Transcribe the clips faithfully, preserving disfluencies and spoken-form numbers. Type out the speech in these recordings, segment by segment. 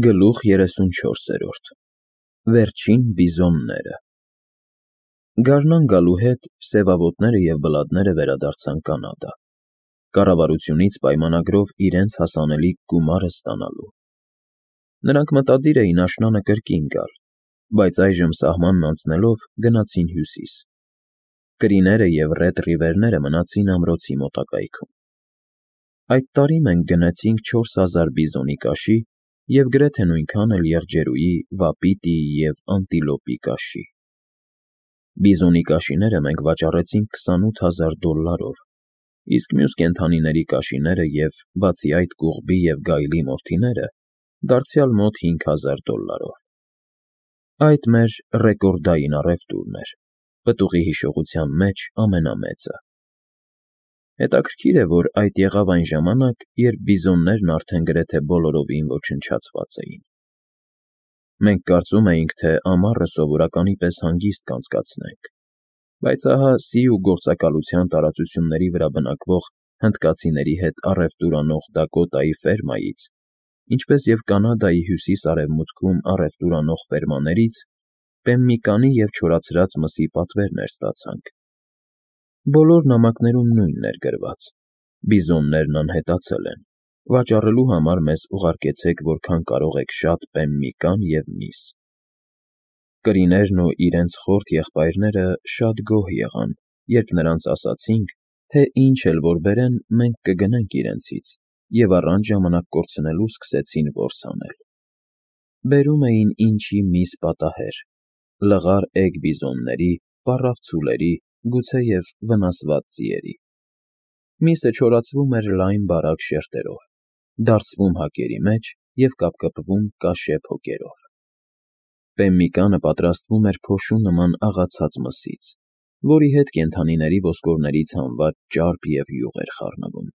Գլուխ երեսունչորսերորդ Վերջին բիզոնները Գարնան գալու հետ սևավոտները և բլատները վերադարձան Կանադա, կառավարությունից պայմանագրով իրենց հասանելիք գումարը ստանալու։ Նրանք մտադիր էին աշնանը կրկին գալ, բայց այժմ սահմանն անցնելով գնացին հյուսիս։ Կրիները և Ռեդ Ռիվերները մնացին ամրոցի մոտակայքում։ Այդ տարի մենք գնեցինք չորս հազար բիզոնի կաշի և գրեթե նույնքան էլ եղջերուի, վապիտիի և անտիլոպի կաշի։ Բիզոնի կաշիները մենք վաճառեցինք քսանութ հազար դոլլարով, իսկ մյուս կենդանիների կաշիները և, բացի այդ, կուղբի և գայլի մորթիները դարձյալ մոտ հինգ հազար դոլլարով։ Այդ մեր ռեկորդային առևտուրն էր, պտուղի հիշողության մեջ ամենամեծը։ Հետաքրքիր է, որ այդ եղավ այն ժամանակ, երբ բիզոններն արդեն գրեթե բոլորովին ոչնչացված էին։ Մենք կարծում էինք, թե ամառը սովորականի պես հանգիստ կանցկացնենք, բայց ահա Սիու գործակալության տարածությունների վրա բնակվող հնդկացիների հետ առևտուր անող Դակոտայի ֆերմայից, ինչպես և Կանադայի հյուսիս֊արևմուտքում առևտուր անող ֆերմաներից պեմմիկանի և չորացրած մսի պատվերներ ստացանք։ Բոլոր նամակներում նույնն էր գրված. «Բիզոններն անհետացել են, վաճառելու համար մեզ ուղարկեցեք որքան կարող եք շատ պեմմիկան և միս»։ Կրիներն ու իրենց խորթ եղբայրները շատ գոհ եղան, երբ նրանց ասացինք, թե ինչ էլ որ բերեն, մենք կգնենք իրենցից, և առանց ժամանակ կորցնելու սկսեցին որս անել։ Բերում էին ինչի միս պատահեր, լղար էգ բիզոնների, պառավ ցուլերի, գուցեև վնասված ձիերի։ Միսը չորացվում էր լայն բարակ շերտերով, դարձվում հակերի մեջ և կապկպվում կաշե փոկերով։ Պեմմիկանը պատրաստվում էր փոշու նման աղացած մսից, որի հետ կենդանիների ոսկորներից հանված ճարպ և յուղ էր խառնվում։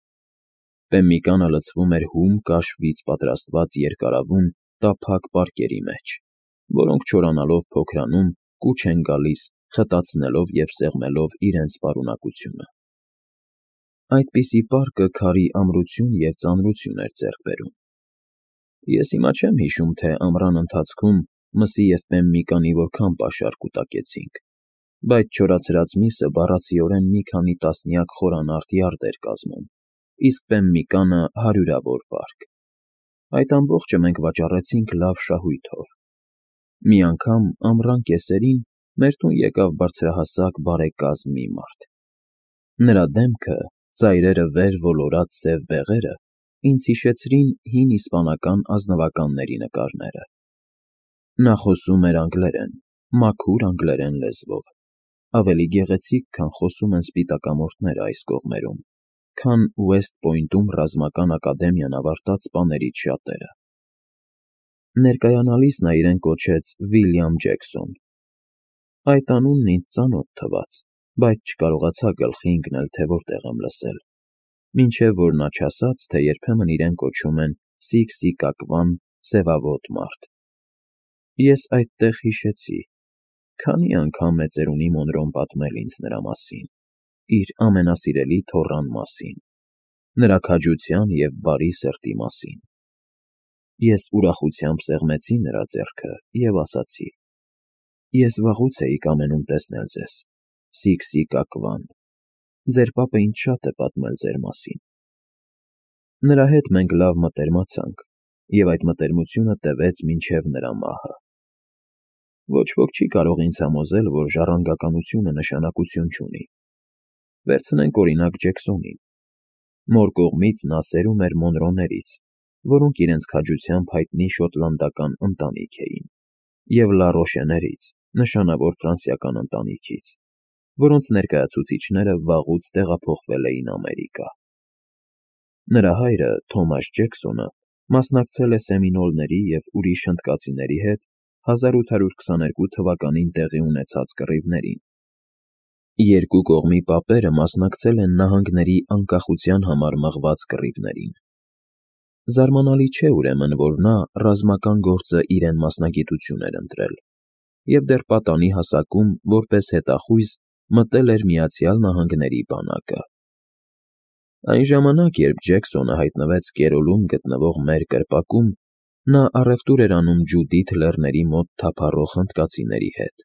Պեմմիկանը լցվում էր հում կաշվից պատրաստված երկարավուն, տափակ պարկերի մեջ, որոնք չորանալով փոքրանում, կուչ են գալիս, խտացնելով և սեղմելով իրենց պարունակությունը։ Այդպիսի պարկը քարի ամրություն և ծանրություն էր ձեռք բերում։ Ես հիմա չեմ հիշում, թե ամռան ընթացքում մսի և պեմմիկանի որքան պաշար կուտակեցինք, բայց չորացրած միսը բառացիորեն մի քանի տասնյակ խորանարդ յարդ էր կազմում, իսկ պեմմիկանը հարյուրավոր պարկ։ Այդ ամբողջը մենք վաճառեցինք լավ շահույթով։ Մի անգամ ամռան կեսերին մեր տուն եկավ բարձրահասակ, բարեկազմ մի մարդ։ Նրա դեմքը, ծայրերը վեր ոլորած սև բեղերը ինձ հիշեցրին հին իսպանական ազնվականների նկարները։ Նա խոսում էր անգլերեն, մաքուր անգլերեն լեզվով, ավելի գեղեցիկ, քան խոսում են սպիտակամորթները այս կողմերում, քան Ուեսթ Պոյնտում ռազմական ակադեմիան ավարտած սպաներից շատերը։ Ներկայանալիս նա իրեն կոչեց Վիլյամ Ջեքսոն։ Այդ անունն ինձ ծանոթ թվաց, բայց չկարողացա գլխի ընկնել, թե որտեղ եմ լսել, մինչև որ նա չասաց, թե երբեմն իրեն կոչում են Սիկ-Սիկակվան, սևավոտ մարդ։ Ես այդտեղ հիշեցի, քանի անգամ է ծերունի Մոնրոն պատմել ինձ նրա մասին, իր ամենասիրելի թոռան մասին, նրա քաջության և բարի սրտի մասին։ Ես ուրախությամբ սեղմեցի նրա ձեռքը և ասացի. «Ես վաղուց էի կամենում տեսնել ձեզ, Սիկ֊Սիկակվան, ձեր պապը ինձ շատ է պատմել ձեր մասին»։ Նրա հետ մենք լավ մտերմացանք, և այդ մտերմությունը տևեց մինչև նրա մահը։ Ոչ ոք չի կարող ինձ համոզել, որ ժառանգականությունը նշանակություն չունի։ Վերցնենք, օրինակ, Ջեքսոնին։ Մոր կողմից նա սերում էր Մոնրոներից, որոնք իրենց քաջությամբ հայտնի շոտլանդական ընտանիք էին, և Լա Ռոշեներից, նշանավոր ֆրանսիական ընտանիքից, որոնց ներկայացուցիչները վաղուց տեղափոխվել էին Ամերիկա։ Նրա հայրը՝ Թոմաս Ջեքսոնը, մասնակցել է սեմինոլների և ուրիշ հնդկացիների հետ հազար ութ հարյուր քսաներկու թվականին տեղի ունեցած կռիվներին։ Երկու կողմի պապերը մասնակցել են նահանգների անկախության համար մղված կռիվներին։ Զարմանալի չէ, ուրեմն, որ նա ռազմական գործը իրեն մասնագիտություն էր ընտրել և դեռ պատանի հասակում, որպես հետախույզ, մտել էր Միացյալ Նահանգների բանակը։ Այն ժամանակ, երբ Ջեքսոնը հայտնվեց Կերոլում գտնվող մեր կրպակում, Նա առևտուր էր անում Ջուդիթ լեռների մոտ թափառող հնդկացիների հետ։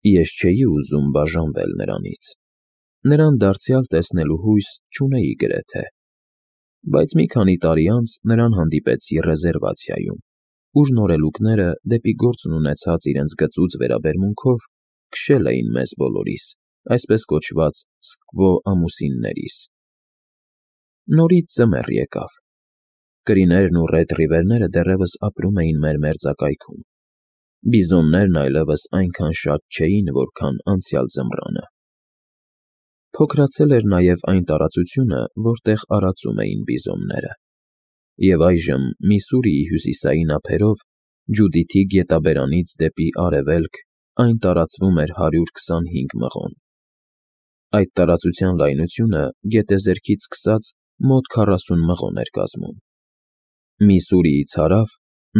Ես չէի ուզում բաժանվել նրանից։ Նրան դարձյալ տեսնելու հույս չունեի գրեթե։ Բայց մի քանի տարի անց նրան հանդիպեցի ռեզերվացիայում, ուր նորելուկները դեպի գործն ունեցած իրենց գծուծ վերաբերմունքով քշել էին մեզ բոլորիս, այսպես կոչված սկվո ամուսիններիս։ Նորից ձմեռ եկավ։ Կրիներն ու Ռեդ Ռիվերները դեռևս ապրում էին մեր մերձակայքում։ Բիզոններն այլևս այնքան շատ չէին, որքան անցյալ ձմռանը։ Փոքրացել էր նաև այն տարածությունը, որտեղ արածում էին բիզոնները, և այժմ Միսսուրիի հյուսիսային ափերով, Ջուդիթի գետաբերանից դեպի արևելք, այն տարածվում էր հարյուր քսանհինգ մղոն։ Այդ տարածության լայնությունը գետեզերքից սկսած մոտ քառասուն մղոն էր կազմում։ Միսսուրիից հարավ,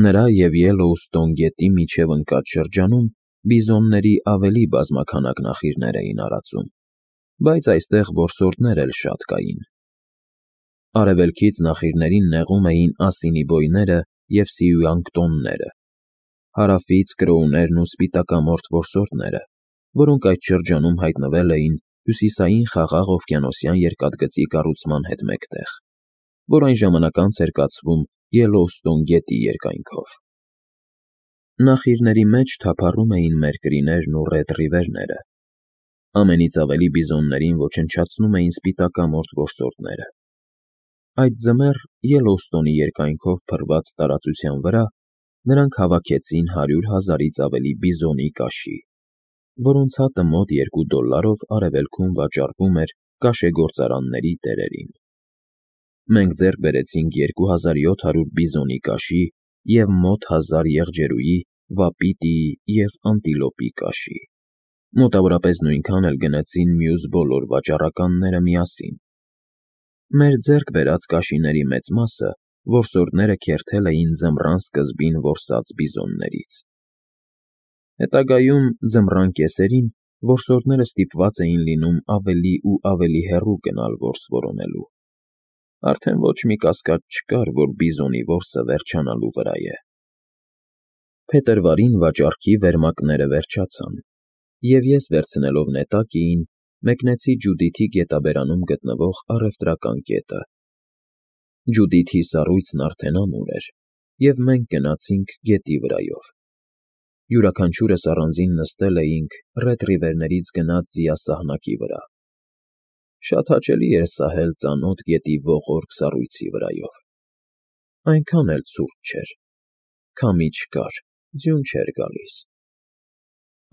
նրա և Ելլոուստոն գետի միջև ընկած շրջանում բիզոնների ավելի բազմաքանակ նախիրներ էին արածում, բայց այստեղ որսորդներ էլ շատ կային։ Արևելքից նախիրներին նեղում էին ասինիբոյները և սիուանկտոնները, հարավից կրոուներն ու սպիտակամորթ որսորդները, որոնք այդ շրջանում հայտնվել էին հյուսիսային Խաղաղ օվկիանոսյան երկաթգծի կառուցման հետ մեկտեղ, որ այն ժամանակ անց էր կացվում Ելլոուստոն գետի երկայնքով։ Նախիրների մեջ թափառում էին մեր կրիներն ու Ռեդ Ռիվերները։ Ամենից ավելի բիզոններին ոչնչացնում էին սպիտակամորթ որսորդները։ Այդ ձմեռ Ելլոուստոնի երկայնքով փռված տարածության վրա նրանք հավաքեցին հարյուր հազարից ավելի բիզոնի կաշի, որոնց հատը մոտ երկու դոլարով արևելքում վաճառվում էր կաշեգործարանների տերերին։ Մենք ձեռք բերեցինք երկու հազար յոթ հարյուր բիզոնի կաշի և մոտ հազար եղջերուի, վապիտիի և անտիլոպի կաշի։ Մոտավորապես նույնքան էլ գնեցին մյուս բոլոր վաճառականները միասին։ Մեր ձեռք բերած կաշիների մեծ մասը որսորդները քերթել էին ձմռան սկզբին որսած բիզոններից։ Հետագայում, ձմռան կեսերին, որսորդները ստիպված էին լինում ավելի ու ավելի հեռու գնալ որս որոնելու։ Արդեն ոչ մի կասկած չկար, որ բիզոնի որսը վերջանալու վրա է։ Փետրվարին վաճառքի վերմակները վերջացան, և ես, վերցնելով նետակիին, մեկնեցի Ջուդիթի գետաբերանում գտնվող առևտրական կետը։ Ջուդիթի սառույցն արդեն ամուր էր, և մենք գնացինք գետի վրայով։ Յուրաքանչյուրս առանձին նստել էինք Ռեդ Ռիվերներից գնած ձիասահնակի վրա։ Շատ հաճելի էր սահել ծանոթ գետի ողորկ սառույցի վրայով։ Այնքան էլ ցուրտ չէր։ Քամի չկար, ձյուն չէր գալիս։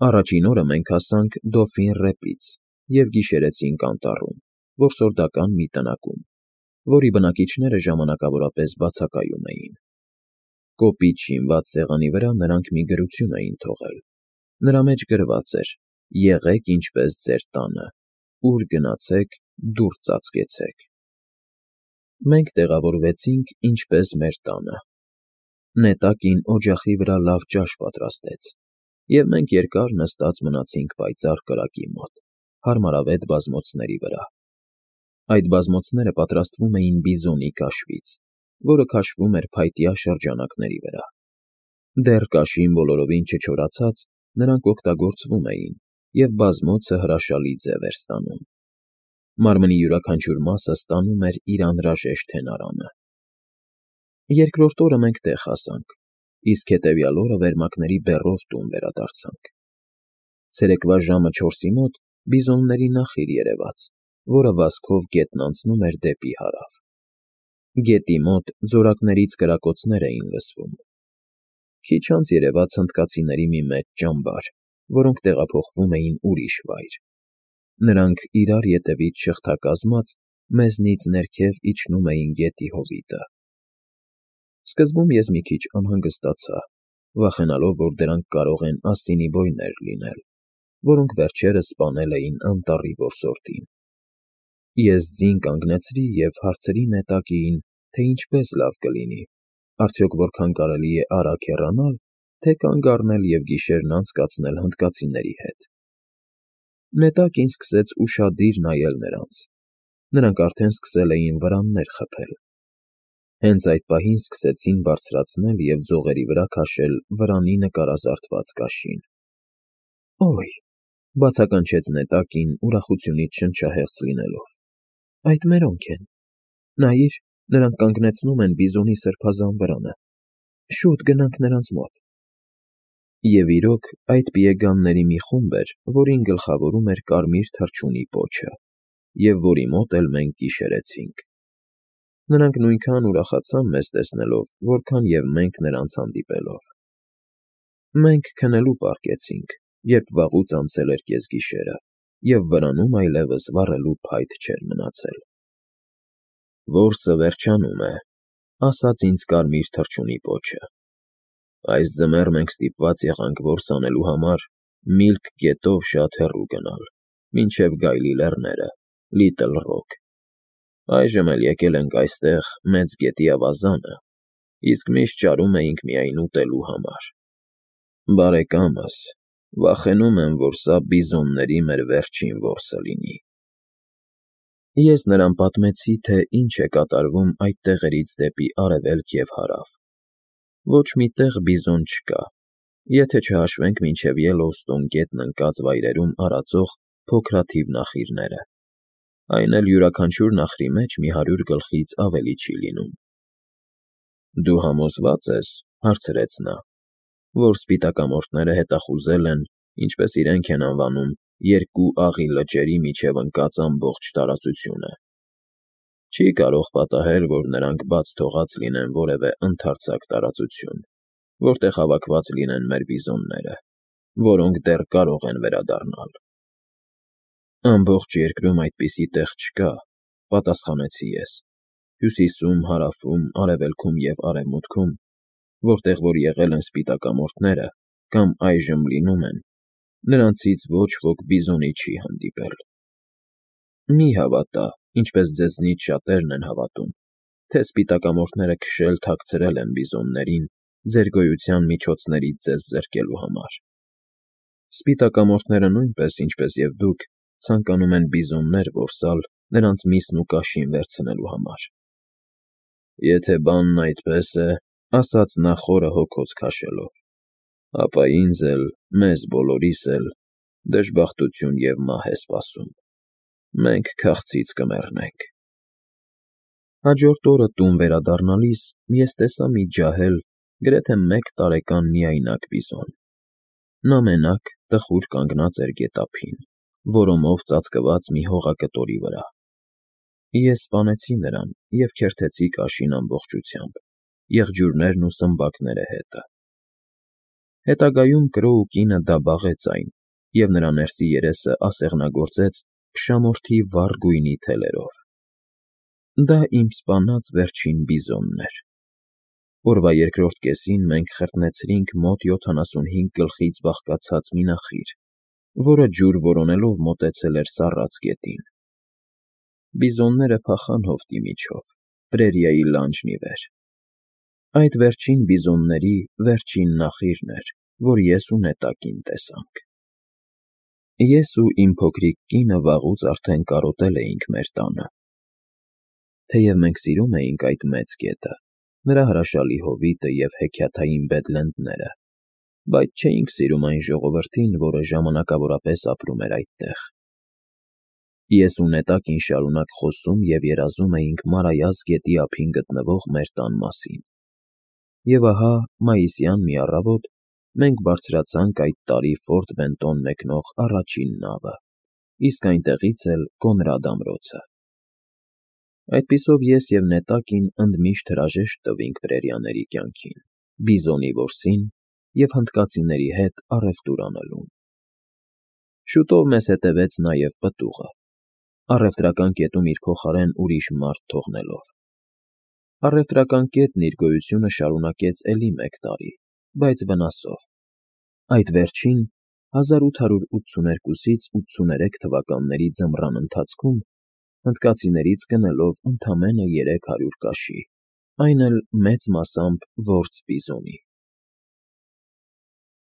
Առաջին օրը մենք հասանք Դոֆին Ռեպից և գիշերեցինք անտառում, որսորդական մի տնակում, որի բնակիչները ժամանակավորապես բացակայում էին։ Կոպիտ շինված սեղանի վրա նրանք մի գրություն էին թողել։ Նրա մեջ գրված էր. «Եղեք ինչպես ձեր տանը, ուր գնացեք, դուռ ծածկեցեք»։ Մենք տեղավորվեցինք ինչպես մեր տանը։ Նետակին օջախի վրա լավ ճաշ պատրաստեց, և մենք երկար նստած մնացինք պայծառ կրակի մոտ, հարմարավետ բազմոցների վրա։ Այդ բազմոցները պատրաստվում էին բիզոնի կաշվից, որը քաշվում էր փայտյա շրջանակների վրա։ Դեռ կաշին բոլորովին չչորացած, նրանք օգտագործվում էին, և բազմոցը հրաշալի ձև էր ստանում։ Մարմնի յուրաքանչյուր մասը ստանում էր իր անհրաժեշտ հենարանը։ Երկրորդ օրը մենք տեղ հասանք, իսկ հետևյալ օրը վերմակների բեռով տուն վերադարձանք։ Ցերեկվա ժամը չորսի մոտ բիզոնների նախիր երևաց, որը վազքով գետն անցնում էր դեպի հարավ։ Գետի մոտ ձորակներից կրակոցներ էին լսվում։ Քիչ անց երևաց հնդկացիների մի մեծ ճամբար, որոնք տեղափոխվում էին ուրիշ վայր։ Նրանք, իրար ետևից շղթակազմած, մեզնից ներքև իջնում էին գետի հովիտը։ Սկզբում ես մի քիչ անհանգստացա, վախենալով, որ դրանք կարող են ասինիբոյներ լինել, որոնք վերջերս սպանել էին անտառի որսորդին։ Ես ձին կանգնեցրի և հարցրի նետակիին, թե ինչպես լավ կլինի, արդյոք որքան կարելի է արագ հեռանալ, թե կանգ առնել և գիշերն անցկացնել հնդկացիների հետ։ Նետակին սկսեց ուշադիր նայել նրանց։ Նրանք արդեն սկսել էին վրաններ խփել։ Հենց այդ պահին սկսեցին բարձրացնել և ձողերի վրա քաշել վրանի նկարազարդված կաշին։ «Օй», բացականչեց նետակին ուրախությունից շնչահեղձ լինելով, «այդ մերոնք են, նայիր, նրանք կանգնեցնում են բիզոնի սրբազան վրանը, շուտ գնանք նրանց մոտ»։ Եվ իրոք, այդ պիեգանների մի խումբ էր, որին գլխավորում էր կարմիր թռչունի պոչը, և որի մոտ էլ մենք գիշերեցինք։ Նրանք նույնքան ուրախացան մեզ տեսնելով, որքան և մենք նրանց հանդիպելով։ Մենք քնելու պառկեցինք, երբ վաղուց անցել էր կեսգիշերը, և վրանում այլևս վառելու փայտ չէր մնացել։ «Որսը վերջանում է», ասաց ինձ կարմիր թռչունի պոչը։ «Այս ձմեռ մենք ստիպված եղանք որս անելու համար Միլք գետով շատ հեռու գնալ, մինչև Գայլի լեռները, Լիտլ Ռոք։ Այժմ էլ եկել ենք այստեղ Մեծ գետի ավազանը, իսկ միշտ ճարում էինք միայն ուտելու համար։ Բարեկամս, վախենում եմ, որ սա բիզոնների մեր վերջին որսը լինի»։ Ես նրան պատմեցի, թե ինչ է կատարվում այդ տեղերից դեպի արևելք և հարավ։ Ոչ մի տեղ բիզոն չկա, եթե չհաշվենք մինչև Յելլոուստոն գետն ընկած վայրերում արածող փոքրաթիվ նախիրները, այն էլ յուրաքանչյուր նախրի մեջ մի հարյուր գլխից ավելի չի լինում։ «Դու համոզվա՞ծ ես», հարցրեց նա, «որ սպիտակամորթները հետախուզել են, ինչպես իրենք են անվանում, երկու աղի լճերի միջև ընկած ամբողջ տարածությունը։ Չի կարող պատահել, որ նրանք բաց թողած լինեն որևէ ընդարձակ տարածություն, որտեղ հավաքված լինեն մեր բիզոնները, որոնք դեռ կարող են վերադառնալ»։ «Ամբողջ երկրում այդպիսի տեղ չկա», պատասխանեցի ես, «հյուսիսում, հարավում, արևելքում և արևմուտքում, որտեղ որ եղել են սպիտակամորթները կամ այժմ լինում են, նրանցից ոչ ոք բիզոնի չի հանդիպել։ Մի հավատա, ինչպես ձեզնից շատերն են հավատում, թե սպիտակամորթները քշել֊թաքցրել են բիզոններին ձեր գոյության միջոցներից ձեզ զրկելու համար։ Սպիտակամորթները նույնպես, ինչպես և դուք, ցանկանում են բիզոններ որսալ նրանց միսն ու կաշին վերցնելու համար։ Եթե բանն այդպես է, ասաց նա խորը հոգոց քաշելով, ապա ինձ էլ, մեզ բոլորիս էլ դժբախտություն և մահ է սպասում։ Մենք քաղցից կմեռնենք։ Հաջորդ օրը տուն վերադառնալիս ես տեսա մի ջահել, գրեթե մեկ տարեկան միայնակ բիզոն։ Նա մենակ, տխուր կանգնած էր գետափին, որոմով ծածկված մի հողակտորի վրա։ Ես սպանեցի նրան և քերթեցի կաշին ամբողջությամբ, եղջյուրներն ու սմբակները հետը։ Հետագայում Կրոու կինը դա բաղեց այն, և նրա ներսի երեսը ասեղնագործեց փշամորթի վառ գույնի թելերով։ Դա իմ սպանած վերջին բիզոնն էր։ Օրվա երկրորդ կեսին մենք խրտնեցրինք մոտ յոթանասունհինգ գլխից բաղկացած մի նախիր, որը ջուր որոնելով մոտեցել էր սառած գետին։ Բիզոնները փախան հովտի միջով, պրերիայի լանջն ի վեր։ Այդ վերջին բիզոնների վերջին նախիրն էր, որ ես ու նետակին տեսանք։ Ես ու իմ փոքրիկ կինը վաղուց արդեն կարոտել էինք մեր տանը։ Թեև մենք սիրում էինք այդ մեծ գետը, նրա հրաշալի հովիտը և հեքիաթային Բեդլենդները, բայց չէինք սիրում այն ժողովրդին, որը ժամանակավորապես ապրում էր այդտեղ։ Ես ու նետակին շարունակ խոսում և երազում էինք Մարայას գետի ափին գտնվող մեր տան մասին։ Եվ ահա մայիսյան մի առավոտ մենք բարձրացանք այդ տարի Ֆորտ Բենտոն մեկնող առաջին նավը, իսկ այնտեղից էլ Կոնրադ ամրոցը։ Այդպիսով ես և նետակին ընդմիշտ հրաժեշտ տվինք պրերիաների կյանքին, բիզոնի որսին և հնդկացիների հետ առևտուր անելուն։ Շուտով մեզ հետևեց նաև պտուղը, առևտրական կետում իր փոխարեն ուրիշ մարդ թողնելով։ Առևտրական կետն իր գոյությունը շարունակեց էլի մեկ տարի, բայց վնասով։ Այդ վերջին հազար ութ հարյուր ութսուներկուսից ութսուներեք թվականների ձմռան ընթացքում հնդկացիներից գնելով ընդամենը երեք հարյուր կաշի, այն էլ մեծ մասամբ որս բիզոնի։